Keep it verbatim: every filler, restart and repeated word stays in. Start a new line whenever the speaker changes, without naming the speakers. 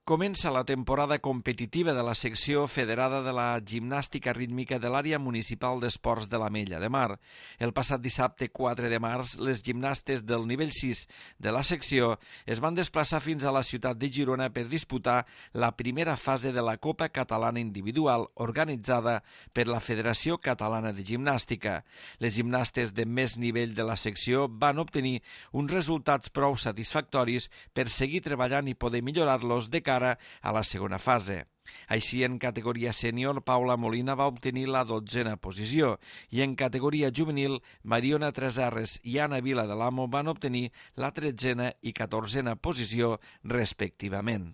Comença la temporada competitiva de la secció federada de la gimnàstica rítmica de l'àrea municipal d'esports de l'Ametlla de Mar. El passat dissabte quatre de març, les gimnastes del nivell sis de la secció es van desplaçar fins a la ciutat de Girona per disputar la primera fase de la Copa Catalana Individual organitzada per la Federació Catalana de Gimnàstica. Les gimnastes de més nivell de la secció van obtenir uns resultats prou satisfactoris per seguir treballant i poder millorar-los de cara a la segona fase. Així, en categoria sènior, Paula Molina va obtenir la dotzena posició i en categoria juvenil, Mariona Tresarres i Anna Vila de l'Amo van obtenir la tretzena i catorzena posició respectivament.